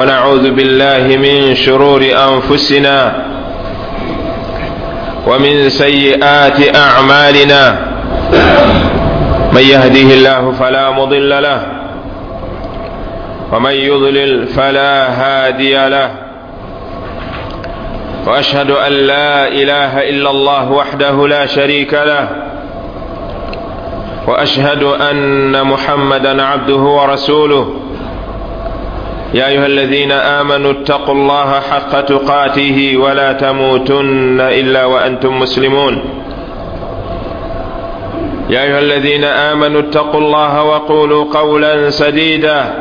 ونعوذ بالله من شرور أنفسنا ومن سيئات أعمالنا من يهده الله فلا مضل له ومن يضلل فلا هادي له وأشهد أن لا إله إلا الله وحده لا شريك له وأشهد أن محمدا عبده ورسوله يا أيها الذين آمنوا اتقوا الله حق تقاته ولا تموتن إلا وأنتم مسلمون يا أيها الذين آمنوا اتقوا الله وقولوا قولا سديدا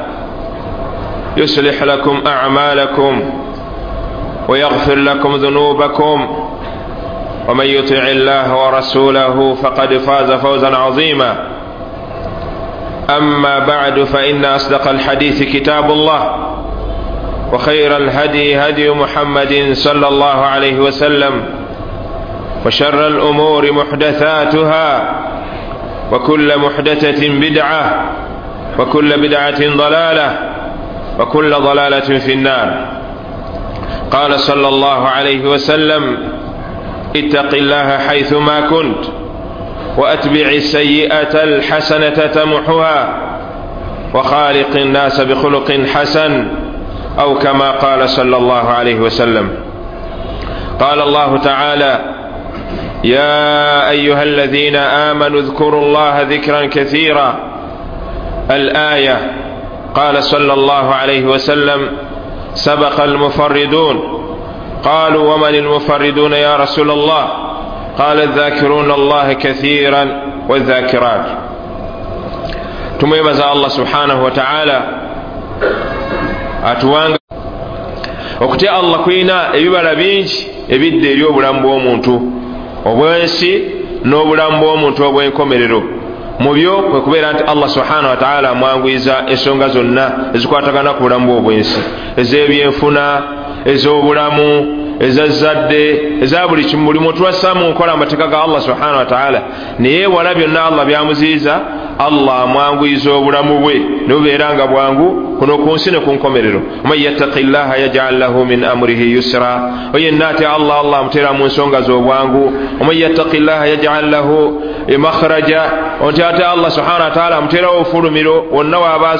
يصلح لكم أعمالكم ويغفر لكم ذنوبكم ومن يطع الله ورسوله فقد فاز فوزا عظيما أما بعد فإن أصدق الحديث كتاب الله وخير الهدي هدي محمد صلى الله عليه وسلم وشر الأمور محدثاتها وكل محدثة بدعة وكل بدعة ضلالة وكل ضلالة في النار. قال صلى الله عليه وسلم: اتق الله حيثما كنت وأتبع السيئة الحسنة تمحها وخالق الناس بخلق حسن، أو كما قال صلى الله عليه وسلم. قال الله تعالى: يا أيها الذين آمنوا اذكروا الله ذكرا كثيرا. الآية. قال صلى الله عليه وسلم: سبق المفردون. قالوا: ومن المفردون يا رسول الله؟ قال: الذاكرون الله كثيرا والذاكرات. Tumwebaza Allah subhanahu wa ta'ala atuwanga okutya Allah kulina ebibala bingi ebidda eri obulamu bw'omuntu obw'ensi n'obulamu bw'omuntu obw'enkomerero. Mu byo kwe kubeera nti Allah subhanahu wa ta'ala amwanguyiza ensonga zonna ezikwatagana ku bulamu bw'obwensi, ez'ebyenfuna, ez'obulamu, ezazadde, eza buli kimu. Buli muntu assa mu nkola amateeka ga Allah subhanahu wa ta'ala, naye wala byonna Allah byamuziyiza, Allah amwanguyiza obulamu bwe ne bubeera nga bwangu kuno ku nsi ne ku nkomerero. Man yattaqi llaha yaj'al lahu min amrihi yusra. Oyenna atya Allah, Allah amuteera mu nsonga z'obwangu. Man yattaqi llaha yaj'al lahu makhraja. Onti ate Allah subhanahu wa ta'ala amuteerawo obufulumiro wonna waaba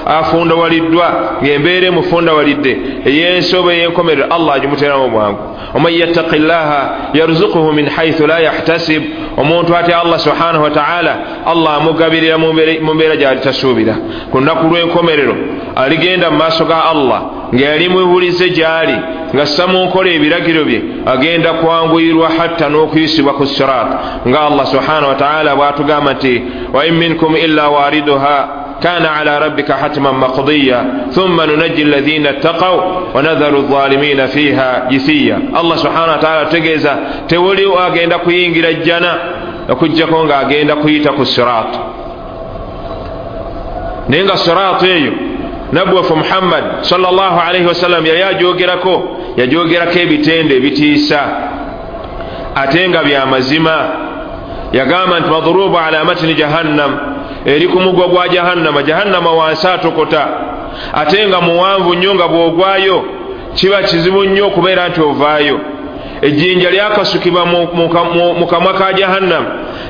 afundawaliddwa, ng'embeera emufundawalidde ey'ensi oba ey'enkomerero, Allah agimuteeramu obwangu. Oman yattaqi llaha yarzuquhu min haythu la yahtasib. Omuntu atya Allah subhanahu wa ta'ala, Allah amugabirira mu mbeera gy'ali tasuubira. Ku lunaku lw'enkomerero aligenda mu maaso ga Allah nga yali mubulize gy'ali, nga ssa mu nkola ebiragiro bye, agenda kwanguyirwa hatta n'okuyisibwa ku sirat, nga Allah subhanahu wa ta'ala bw'atugamba nti: wa in minkum illa wariduha kana ala rabbika hatman maqdiya thumma nunajji alladhina ittaqaw wa nadharu adh-dhalimina fiha jithiya. Allah subhanahu wa ta'ala ategeeza tewali agenda kuyingira jjana okuggyako ng'agenda kuyita ku sirat. Naye nga sirat eyo nabbi waffe Muhammad sallallahu alaihi wasallam yali ajogerako, yajogerako ebitendo ebitiisa ate nga bya mazima. Yagamba nti madrubu ala matni jahannam, eri ku mugwa gwa jahannama. Jahannama wansi atokota ate nga muwanvu nnyo, nga bw'ogwayo kiba kizibu nnyo okubeera nti ovaayo. Ejjinja lyakasukibwa mu kamwa ka jahannam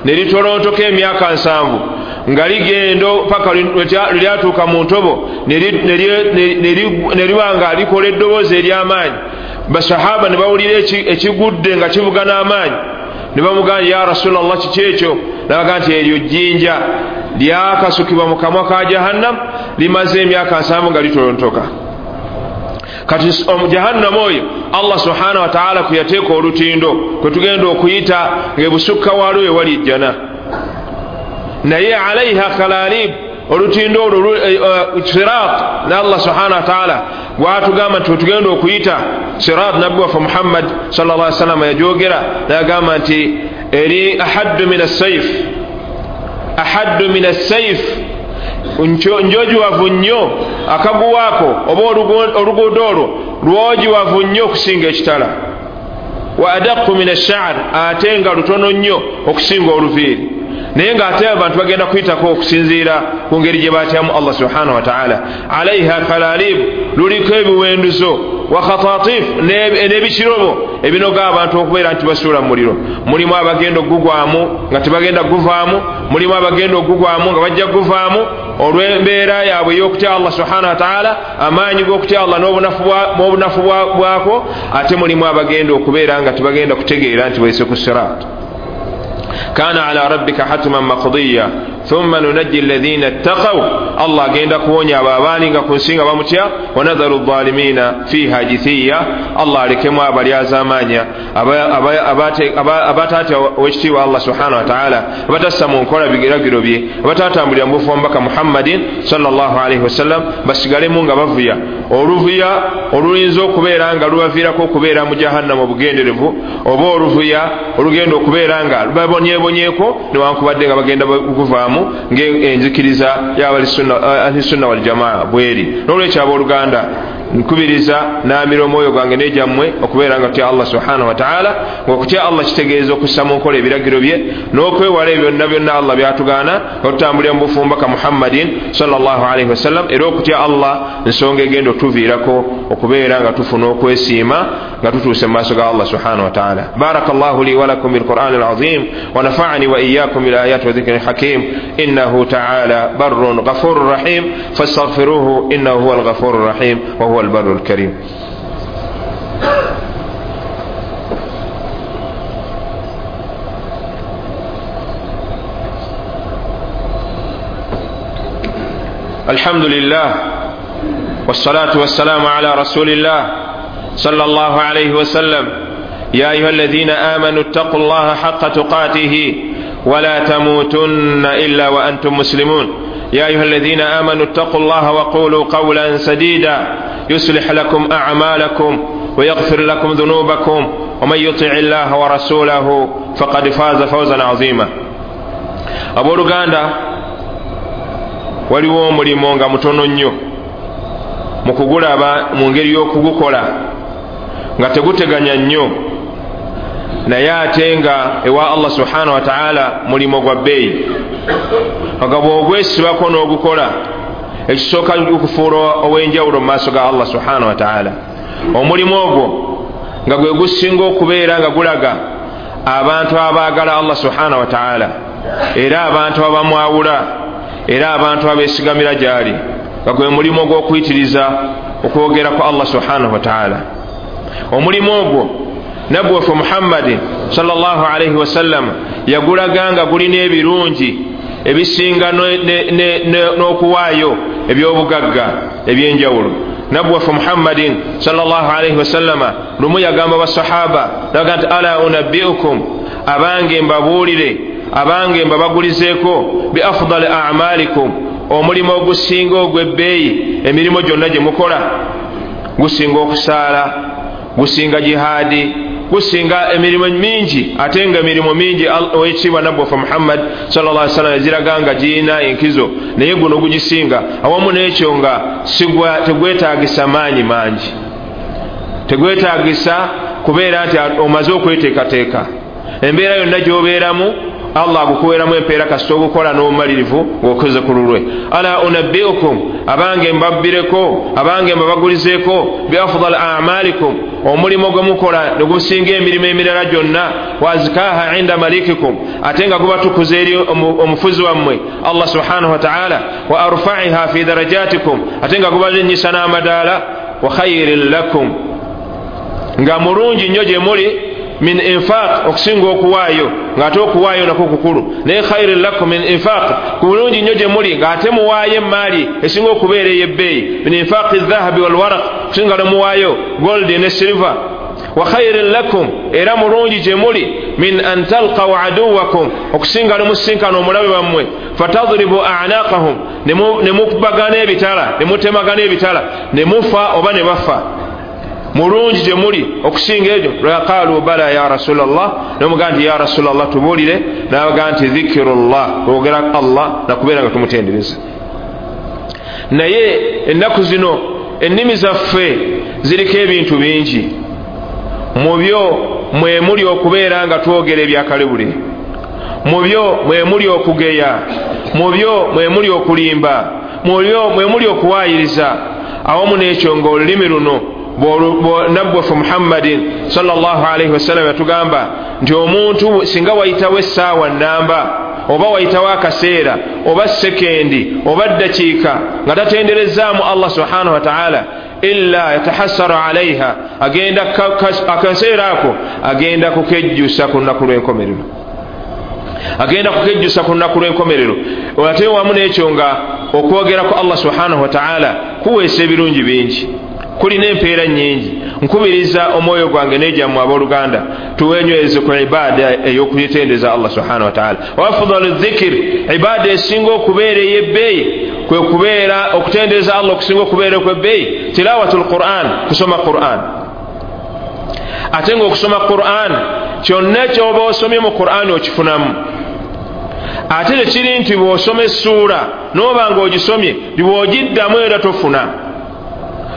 ne litolontoka emyaka 70, nga ligenda paka lyatuuka mu ntobo ne liba nga likola eddoboozi ery'amaanyi. Basahaba ne bawulira ekigudde nga kivuga n'amaanyi, ne bamugamba: ya Rasulallah, kiki ekyo? N'abagamba nti eryo jjinja lyakasukibwa mu kamwa ka jahannam, limaze emyaka 70 nga litolontoka. Kati jahannam oyo Allah subhanahu wa ta'ala kwe yateeka olutindo kwe tugenda okuyita ng'ebusukka waalwo ewali ejjana, naye alaiha kalalib, olutindo olwo sirat, ne Allah subhanahu wa ta'ala gwatugamba nti tugenda okuyita sirat. Nabbi waffe Muhammad sallallahu alaihi wasallam yajogera n'agamba nti eri ahaddu min as-sayf, ahaddu min as-sayf, njojiwavu nnyo akaguwaako oba oluguudo olwo lwojiwavu nnyo okusinga ekitala, wa adaqu min ash-sha'r, ate nga lutono nnyo okusinga oluviiri. Naye ng'ate abantu bagenda kuyitako okusinziira ku ngeri gye batyamu Allah subhanahu wa ta'ala. Alaiha kalalib, luliko ebiwenduzo, wa khatatif, n'ebikirobo ebinoga abantu okubeera nti basuula mu muliro. Mulimu abagenda okugugwamu nga tebagenda kuguvaamu, mulimu abagenda okugugwamu nga bajja kuguvaamu olw'embeera yaabwe ey'okutya Allah subhanahu wa ta'ala, amaanyi g'okutya Allah n'obunafu bwako. Ate mulimu abagenda okubeera nga tebagenda kutegeera nti bayise ku sirat. Kana ala rabbika hatman maqdiya thumma nunajji alladhina ittaqaw, Allah agenda kuwonya abo abaali nga ku nsi nga bamutya. Wa nadharu adh-dhalimina fiha jithiya, Allah alekemu abalyazaamaanya abataatya owekitiibwa Allah subhanahu wa ta'ala, abatassa mu nkola biragiro bye, abatatambulira mu bufu bwa Mubaka Muhammadin sallallahu alaihi wasallam, basigalemu nga bavuya oluvuya oluyinza okubeera nga lubaviirako okubeera mu jahannama obugenderevu, oba oluvuya olugenda okubeera nga lubabonyebonyeeko newankubadde nga bagenda kuvaamu ng'enzikiriza y'Ahlusunna wal Jamaa bweri. N'olwekyo abooluganda, nkubiriza n'amira omwoyo gwange n'egyammwe okubeera nga tutya Allah subhanahu wa ta'ala. Ng'okutya Allah kitegeeza okussa mu nkola ebiragiro bye n'okwewala ebyo byonna byonna Allah byatugaana, nga tutambulira mu bufu Mubaka Muhammadin sallallahu alaihi wasallam. Era okutya Allah nsonga egenda otuviirako okubeera nga tufuna okwesiima nga tutuuse mu maaso ga Allah subhanahu wa ta'ala. Barakallahu li wa lakum bilqur'ani alazim wa nafa'ani wa iyyakum bil ayati wa dhikri hakim innahu ta'ala barrun ghafurur rahim fastaghfiruhu innahu huwal ghafurur rahim wa huwa البر الكريم. الحمد لله والصلاة والسلام على رسول الله صلى الله عليه وسلم. يا أيها الذين آمنوا اتقوا الله حق تقاته ولا تموتن إلا وأنتم مسلمون. يا أيها الذين آمنوا اتقوا الله وقولوا قولا سديدا يصلح لكم أعمالكم ويغفر لكم ذنوبكم ومن يطع الله ورسوله فقد فاز فوزا عظيما. Abooluganda, waliwo omulimu nga mutono nnyo mu kugulaba mu ngeri y'okugukola nga teguteganya nnyo, naye ate nga ewa Allah subhanahu wa ta'ala mulimu gwa bbeeyi, nga bw'ogwesibako n'ogukola ekisooka okufuula ow'enjawulo mu maaso ga Allah subhanahu wa ta'ala. Omulimu ogwo nga gwe gusinga okubeera nga gulaga abantu abaagala Allah subhanahu wa ta'ala, era abantu abamwawula, era abantu abeesigamira gy'ali, nga gwe mulimu ogw'okuyitiriza okwogera ku Allah subhanahu wa ta'ala. Omulimu ogwo Nabbi waffe Muhammadi sallallahu alaihi wasallam yagulaga nga gulina ebirungi ebisinga n'okuwaayo eby'obugagga ebyenjawulo. Nabbi waffe Muhammadin sallallahu alaihi wasallama lumu yagamba basahaba naga nti ala unabbiukum, abange mbabuulire, abange mbabagulizeeko bi afdali a'malikum, omulimu ogusinga ogw'ebbeeyi emirimu gyonna gye mukola, gusinga okusaala, gusinga jihaadi, gusinga emirimu mingi. Ate nga emirimu mingi owekitiibwa Nabbi waffe Muhammad sallallahu alaihi wasallam eziraga nga girina enkizo, naye guno gugisinga. Awamu n'ekyo nga tegwetaagisa maanyi mangi, tegwetaagisa kubeera nti omaze okweteekateeka. Embeera yonna gy'obeeramu Allah agukuweeramu empeera kasita ogukola n'obumalirivu ng'okoze ku lulwe. Ala unabbiukum, abange mbabbireko, abange mbabagulizeeko bi afdal a'malikum, omulimu gwe mukola ne gusinga emirimu emirala gyonna, wazikaha inda malikikum, ate nga gubatukuza eri omufuzi wammwe Allah subhanahu wa ta'ala, wa arfa'iha fi darajatikum, ate nga gubalinnyisa n'amadaala, wa khairin lakum, nga mulungi nnyo gye muli, min infaq, okusinga okuwaayo, ng'ate okuwaayo nakwo kukulu, naye khairin lakum min infaq, kulungi nnyo gye muli ng'ate muwaayo emaali esinga okubeera ey'ebbeeyi, min infaqi dhahabi walwaraq, okusinga lwe muwaayo gold ne silver, wa khairin lakum, era mulungi gye muli, min an talqaw aduwakum, okusinga lwe musinkana omulabe wammwe, fatadribu a'naqahum, ne mukubagana ebitala, ne mutemagana ebitala, ne mufa oba ne bafa, mulungi gye muli okusinga ebyo. Qalu bala ya rasulallah, nomugaa nti ya rasulallah tubuulire, nabagaa nti dhikirullah, kwogera Allah nakubeera nga tumutendereza. Naye ennaku zino ennimi zaffe ziriko ebintu bingi, mu byo mwe muli okubeera nga twogera ebyakalebule, Mu byo mwe muli okugeya, mu byo mwe muli okulimba, mu byo mwe muli okuwaayiriza. Awamu n'ekyo ng'olulimi luno nabbi waffe Muhammadin sallallahu alaihi wasallam yatugamba nti omuntu singa wayitawo essaawa nnamba oba wayitawo akaseera oba sekendi oba ddakiika nga tatenderezaamu Allah subhanahu wataala, illa yatahassaru alaiha, agenda akaseera ako agenda kukejjusa ku lunaku lw'enkomerero, agenda kukejjusa ku lunaku lw'enkomerero. Ate wamu n'ekyo nga okwogera ku Allah subhanahu wataala kuweesa ebirungi bingi, kulina empeera nnyingi. Nkubiriza omwoyo gwange n'egyammwe abooluganda tuwenyweze ku ibaada ey'okuyitendeza Allah subhanahu wataala. Wa afdalu dhikir, ibaada esinga okubeera ey'ebbeeyi kwe kubeera okutendereza Allah okusinga okubeera okw'ebbeeyi tilawatul Quran, kusoma Quran. Ate ng'okusoma Quran kyonna ky'oba osomye mu Quran okifunamu. Ate tekiri nti bw'osoma essuula n'oba ng'ogisomye bw'ogiddamu era tofuna.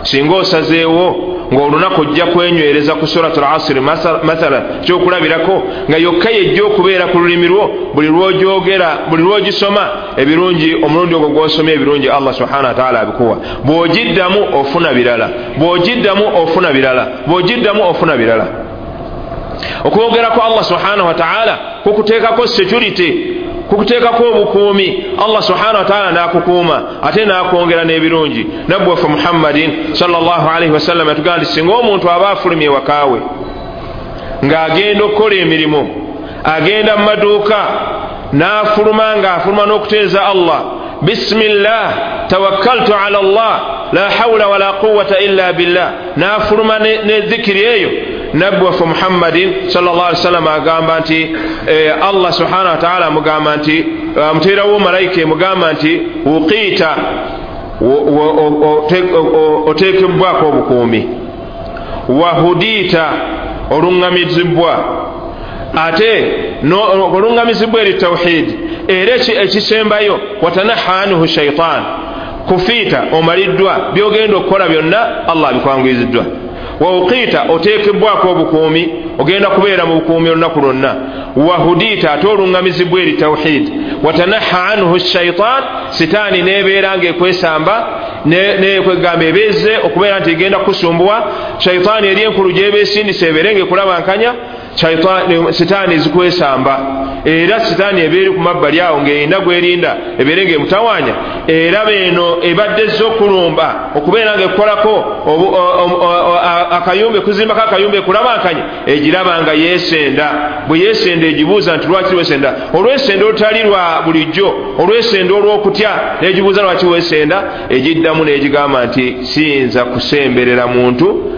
Singa osazeewo ng'olunaku ojja kwenywereza ku suratul asiri mathala, kyokulabirako nga yokka yejja okubeera ku lulimi lwo buli lw'ogyogera, buli lw'ogisoma ebirungi, omulundi ogwo gw'osomye ebirungi Allah subhanahu wataala abikuwa. Bw'ogiddamu ofuna birala, bw'ogiddamu ofuna birala, bw'ogiddamu ofuna birala. Okwogerako Allah subhanahu wataala kukuteekako security, kukuteekako obukuumi. Allah subhanahu wataala n'akukuuma ate n'akwongera n'ebirungi. Nabbi waffe Muhammadin sallallahu alaihi wasallam yatugamba nti singa omuntu aba afulumye ewakaawe ng'agenda okukola emirimu, agenda mu maduuka n'afuluma ng'afuluma n'okuteeza Allah, bismillah tawakkaltu ala Allah la hawla wala quwwata illa billah, n'afuluma ne dhikiri eyo, nabbi waffe Muhammadin sallallahu alaihi wasallam agamba nti Allah subhanahu wataala amugamba nti amuteerawo malayika emugamba nti wuqiita, oteekebwako obukuumi, wahudiita, oluŋŋamizibwa, ate oluŋŋamizibwa eri tawhid. Era ekisembayo watanaha anhu shaitan, kufiita, omaliddwa byogenda okukola byonna Allah abikwanguyiriziddwa. Wauqiita, oteekebwako obukuumi, ogenda kubeera mu bukuumi olunaku lwonna. Wahudiita, ate oluŋŋamizibwa eri tawhid. Watanaha anhu shaitan, sitaani nebeera ng'ekwesamba nekwegamba ebeeze okubeera nti egenda kukusumbuwa. Shaitaani eri enkulu gyeba esindisa ebeere ng'ekulabankanya, sitaani zikwesamba. Era sitaani ebeeri ku mabbali awo ng'erina gwerinda ebeere ng'emutawaanya, era beeno ebadde ezze okulumba okubeera ng'ekukolako akayumba, ekuzimbako akayumba ekulabankanya, egiraba nga yeesenda. Bwe yeesenda egibuuza nti lwaki weesenda? Olwesenda olutali lwa bulijjo, olwesenda olw'okutya, n'egibuuza lwaki weesenda? Egiddamu n'egigamba nti siyinza kusemberera muntu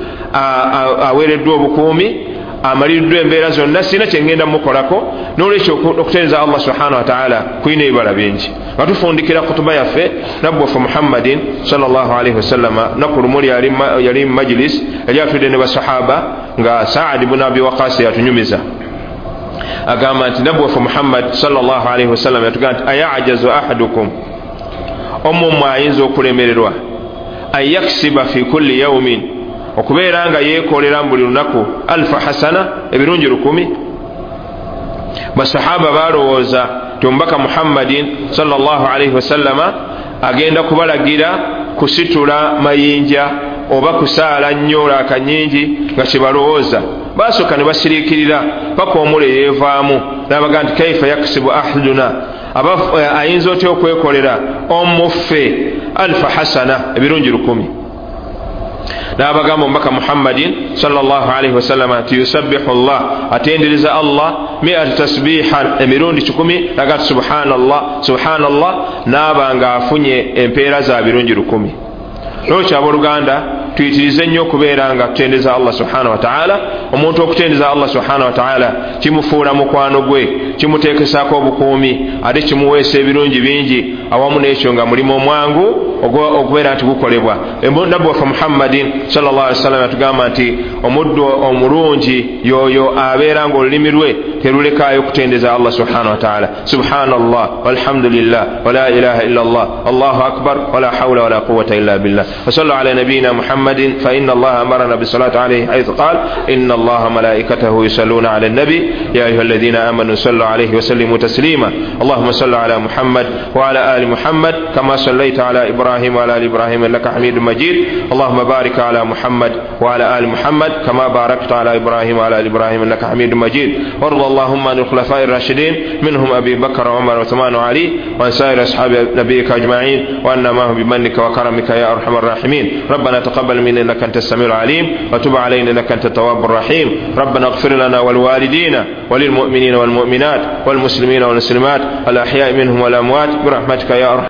aweereddwa obukuumi, amaliriddwa embeera zonna, sirina kye ngenda mukolako. N'olwekyo okutendereza Allah subhanahu wataala kulina ebibala bingi. Nga tufundikira kutuba yaffe, nabbi waffe Muhammadin sallallahu alaihi wasallama lunaku lumu yali mu majilis yali atudde ne basahaba nga Saad ibn Abi Waqas yatunyumiza, agamba nti nabbi waffe Muhammad sallallahu alaihi wasallam yatugamba nti ayajazu ahadukum, omummwe ayinza okulemererwa an yaksiba fi kulli yaumin, okubeera nga yeekolera buli lunaku alfa hasana, ebirungi 1000. Basahaba balowooza nti omubaka Muhammadin sallallahu alaihi wasallama agenda kubalagira kusitula mayinja oba kusaala nnyo laaka nnyingi nga kyebalowooza. Basooka ne basiriikirira paka omule yeevaamu n'abaga nti kaifa yaksibu ahaduna, ayinza otya okwekolera omuffe alfa hasana, ebirungi 1000. N'abagamba omubaka Muhammadin sallallahu alaihi wasallam nti yusabbihu Allah, atendereza Allah mi'ata tasbihan, emirundi 100, naga subhanallah subhanallah, n'aba nga afunye empeera za birungi 1000. Lwekyo abooluganda tuyitirize nnyo okubeera nga tutendeza Allah subhanahu wataala. Omuntu okutendeza Allah subhanahu wataala kimufuula mukwano gwe, kimuteekesaako obukuumi, ate kimuweesa ebirungi bingi. Awamu n'ekyo nga mulimu omwangu okubeera nti gukolebwa. Nabbi waffe Muhammadin sallallahu alaihi wasallam yatugamba nti omuddu omulungi yoyo abeera ng'olulimi lwe terulekaayo okutendeza Allah subhanahu wataala. Subhanallah walhamdulillah wala ilaha illa Allah allahu akbar wala hawla wala quwwata illa billah. Wa sallu ala nabiyina Muhammad. محمد فإن الله أمرنا بالصلاة عليه حيث قال إن الله ملائكته يصلون على النبي يا أيها الذين آمنوا صلوا عليه وسلموا تسليما اللهم صل على محمد وعلى آل محمد كما صليت على إبراهيم وعلى آل إبراهيم إنك حميد مجيد اللهم بارك على محمد وعلى آل محمد كما باركت على إبراهيم وعلى آل إبراهيم إنك حميد مجيد وارض اللهم عن الخلفاء الراشدين منهم أبي بكر وعمر وعثمان وعلي وعن سائر أصحاب نبيك أجمعين وأن معهم بمنك وكرمك يا أرحم الراحمين ربنا تقبل منا إنك أنت السميع العليم وتب علينا إنك أنت التواب الرحيم ربنا اغفر لنا ولوالدينا وللمؤمنين والمؤمنات والمسلمين والمسلمات الأحياء منهم والأموات برحمتك يا أرحم.